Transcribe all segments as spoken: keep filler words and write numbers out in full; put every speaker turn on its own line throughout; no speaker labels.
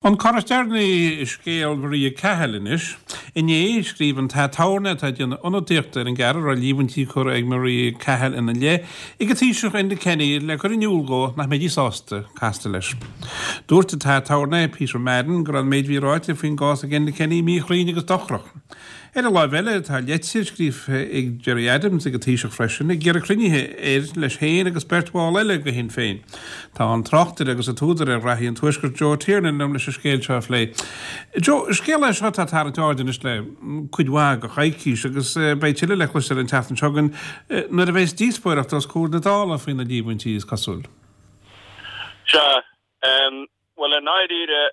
An cor is deireanaí i scéal Mharia Cahill anois. Inné, scríobh an t-aturnae atá ag déanamh ionadaíochta ar an gceathrar a raibh líomhaintí curtha ag Maria Cahill ina leith ag an Taoiseach Enda Kenny le cur in iúl dó nach mbeidís sásta castáil leis. Dúirt an t-aturnae Peter Madden go raibh an méid a bhí ráite faoin gcás ag Enda Kenny míchruinn agus dochrach. Ar an láimh eile, tá leitir scríofa ag Gerry Adams ag an Taoiseach freisin ag iarraidh cruinnithe air leis féin agus beirt bhall eile de Shinn Féin. Tá an tráchtaire agus an t-údar ar Ghraithí an Tuaiscirt Joe Tiernan liom leis an scéal seo a phlé. Joe, scéal é seo atá ag tarraingt aird anois le cuid mhaith de choicís agus beidh tuilleadh le cloisteáil an tseachtain seo chugainn nuair a bheas díospóireacht os comhair na Dála faoi na líomhaintí is cosúil.
Sea, bhuel i ndáiríre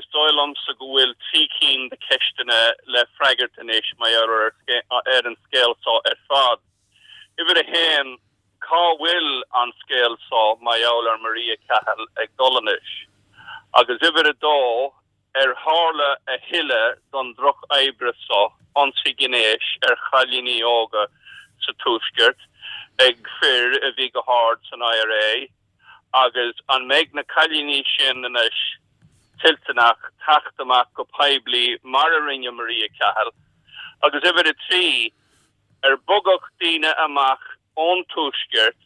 Is dóigh liomsa go bhfuil trí cinn de cheisteanna le freagairt anois mar gheall ar an scéal seo ar fad. Uimhir a haon, cá bhfuil an scéal seo mar gheall ar Maria Cahill ag dul anois? Agus uimhir a dó, ar tharla a thuilleadh don droch-oibre seo, ionsaí gnéis ar chailíní óga sa Tuaisceart ag fir a bhí go hard san IRA? Agus an mbeidh na cailíní sin anois toilteanach teacht amach go poiblí mar a rinne Maria Cahill? Agus uimhir a trí, ar bogadh daoine amach ón Tuaisceart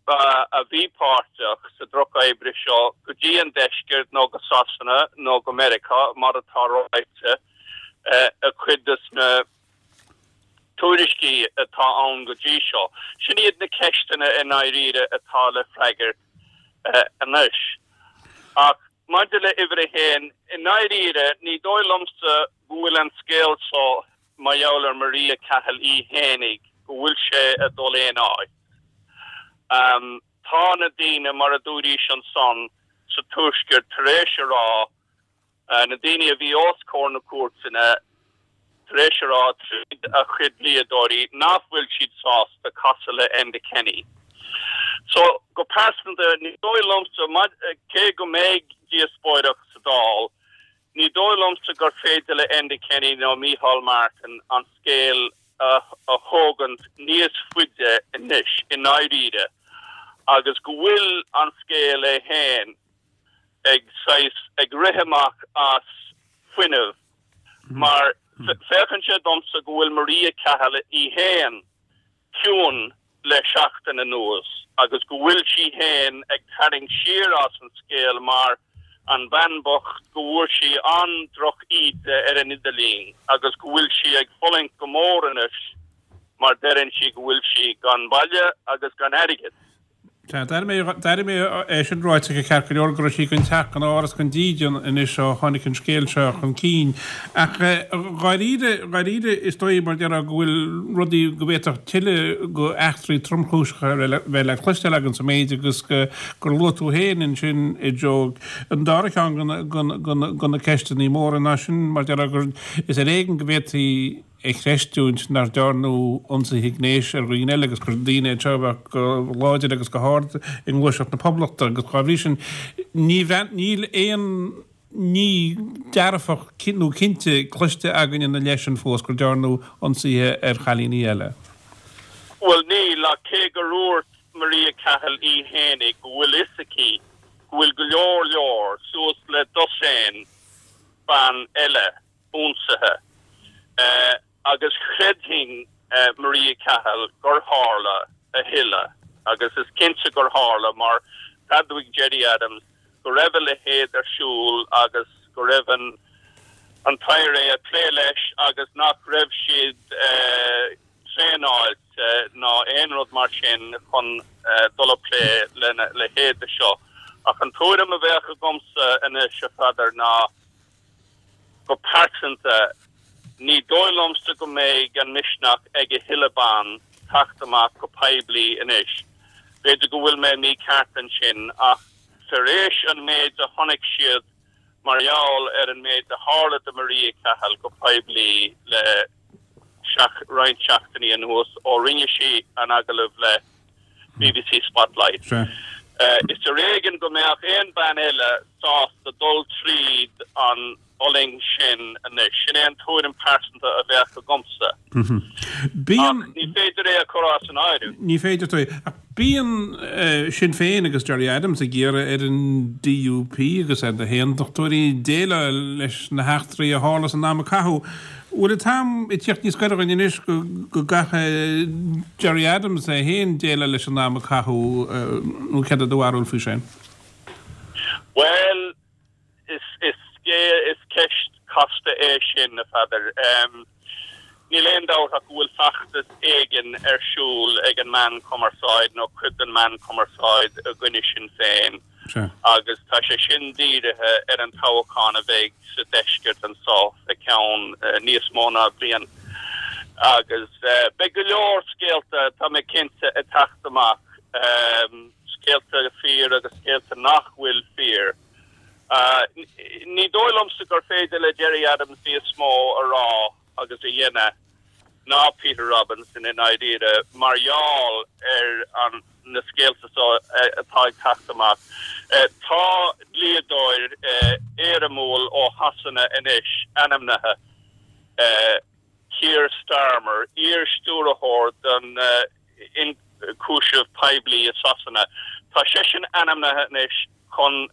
a bhí páirteach sa drochoibre seo go dtí an Deisceart nó go Sasana nó go Meiriceá, mar atá ráite i cuid de na tuairiscí atá ann go dtí seo. Sin iad na ceisteanna i ndáiríre atá le freagairt anois. Ach maidir le uimhir a haon, i ndáiríre, ní dóigh liomsa go bhfuil an scéal seo mar gheall ar Maria Cahill í fhéinig, go bhfuil sé ag dul aon áit. Tá na daoine, mar a dúraís ansan, sa Tuaisceart tar éis a rá, Na daoine a bhí os comhair na cúirteanna tar éis a rá tríd a chuid dlíodóirí nach bhfuil siad sásta casadh le Enda Kenny. So, go pearsanta, ní dóigh liomsa, cé go mbeidh díospóireacht sa Dáil, ní dóigh liomsa gur féidir le Enda Kenny nó Micheál Martin an scéal a thógaint níos faide anois, i ndáiríre, agus go bhfuil an scéal é féin ag saghas ag rith amach as fuinneamh mar féachann sé domsa go bhfuil Maria Cahill í fhéin ciúin le seachtain anuas agus go bhfuil sí fhéin ag tarraingt siar as an scéal mar an bhean bocht go bhfuair sí an-droch-íde ar an idirlíon agus go bhfuil sí ag fulaingt go mór anois mar deireann sí go bhfuil sí gan baile agus gan airgead.
Sea, d'airigh mé, d'airigh mé é sin ráite aici ceart go leor, go raibh sí gan teach, gan áras, gan dídean anois ó tháinig an scéal seo chun cinn. Ach dháiríre, dháiríre, is dóigh, mar déarfá, go bhfuil rudaí, go bhféadfadh tuilleadh go eachtraí tromchúiseacha a bheith le cloisteáil againn sa méid agus go, gur luaigh tú féin ansin, a Joe, an dara ceann de na ceisteanna móra ná sin, mar déarfá, gur, is ar éigean go bhféadfaí, a chreistiúint nach ndearnadh ionsaithe gnéis ar dhaoine eile agus gur daoine iad seo a bheadh go láidir agus go hard i nGluaiseacht na Poblachta agus dá bhrí sin ní níl aon ní dearfach nó cinnte cloiste againn ina leith sin fós gur dearnadh ionsaithe ar chailíní eile.
Bhuel níl, ach cé gur dhúirt Maria Cahill í fhéinig go bhfuil fhios aici go bhfuil go leor leor, suas le dosaen ban eile, ionsaithe agus chreidfinn Maria Cahill gur tharla a thuilleadh agus is cinnte gur tharla mar d'admhaigh Gerry Adams go raibh a leithéid ar siúl agus go raibh an an t-IRA ag plé leis agus nach raibh siad traenáilte ná aon rud mar sin chun dul ag plé lena leithéid de seo. Ach an tuairim a bheadh agamsa anois, a Pheadair, ná Go pearsanta, ní dóigh liomsa go mbeidh an misneach ag a thuilleadh ban teacht amach go poiblí anois. B'fhéidir go bhfuil mé mícheart ansin, ach tar éis an méid a chonaic siad mar gheall ar an méid a tharla do Maria Cahill go poiblí le roinnt seachtainí anuas ó rinne sí an agallamh le BBC Spotlight. Is ar éigean go mbeadh aon bean eile sásta dul tríd an fhulaingt sin anois. Sin é an tuairim pearsanta a bheadh agamsa. Ach ní féidir é a chur as an áireamh.
Ní féidir. Ach Bíonn Sinn Féin agus Gerry Adams ag iarraidh ar an D U P agus ar na hAontachtóirí déileáil leis na heachtraí a tharla san am a caitheadh. Bhfuil an t-am ag tíocht níos gaire dhúinn anois go go gcaithfidh Gerry Adams é féin déileáil leis an am a caitheadh, nó céard é do bharúil faoi sin?
Well, is is is ceist casta é sin, a Pheadair. Um, Níl aon dabht ach go bhfuil feachtas éigin ar siúl ag an meán cumarsáid nó cuid den meán cumarsáid i gcoinne Sinn Féin agus tá sé sin dírithe ar an toghchán a bheidh sa deisceart anseo i gceann uh, níos mó ná bliain. Agus uh, beidh go leor scéalta, tá mé cinnte, ag teacht amach, um, scéalta fíor agus scéalta nach bhfuil fíor. Uh, ní dóigh liomsa gur féidir le Gerry Adams níos mó a rá agus a dhéanamh ná Peter Robinson i ndáiríre mar gheall ar an na scéalta so atá ag teacht amach. Tá dlíodóir éirimiúil ó Shasana anois ainmnithe, Keir Starmer, iar-stiúrthóir don ionchúiseamh poiblí i Sasana. Tá seisean ainmnithe anois chun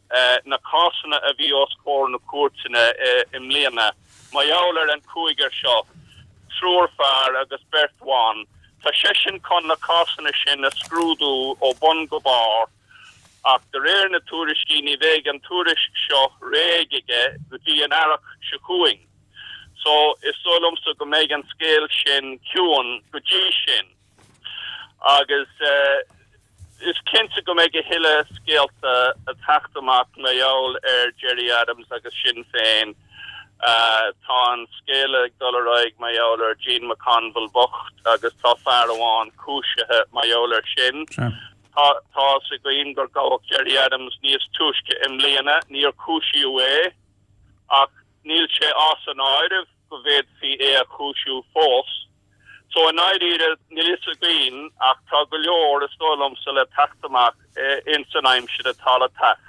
na cásanna a bhí os comhair na cúirteanna i mbliana mar gheall ar an cúigear seo, triúr fear agus beirt bhan. Tá seisean chun na cásanna sin a scrúdú ó bun go barr, ach de réir na tuairiscí ní bheidh an tuairisc seo réidh aige go dtí an earrach seo chugainn. So is dóigh liomsa go mbeidh an scéal sin ciúin go dtí sin. Agus uh, is cinnte go mbeidh a thuilleadh scéalta ag teacht amach mar gheall ar Gerry Adams agus Sinn Féin. Uh, tá an scéal ag dul ar aghaidh mar gheall ar Jean McConville bocht agus tá fear amháin cúisithe mar gheall air sin. Tá tá a fhios againn gur gabhadh Gerry Adams níos túisce i mbliana, níor cúisíodh é, ach níl sé as an áireamh go bhféadfaí é a chúisiú fós. So i ndáiríre níl a fhios againn, ach tá go leor, is dóigh liomsa, le teacht amach in san aimsir atá le teacht.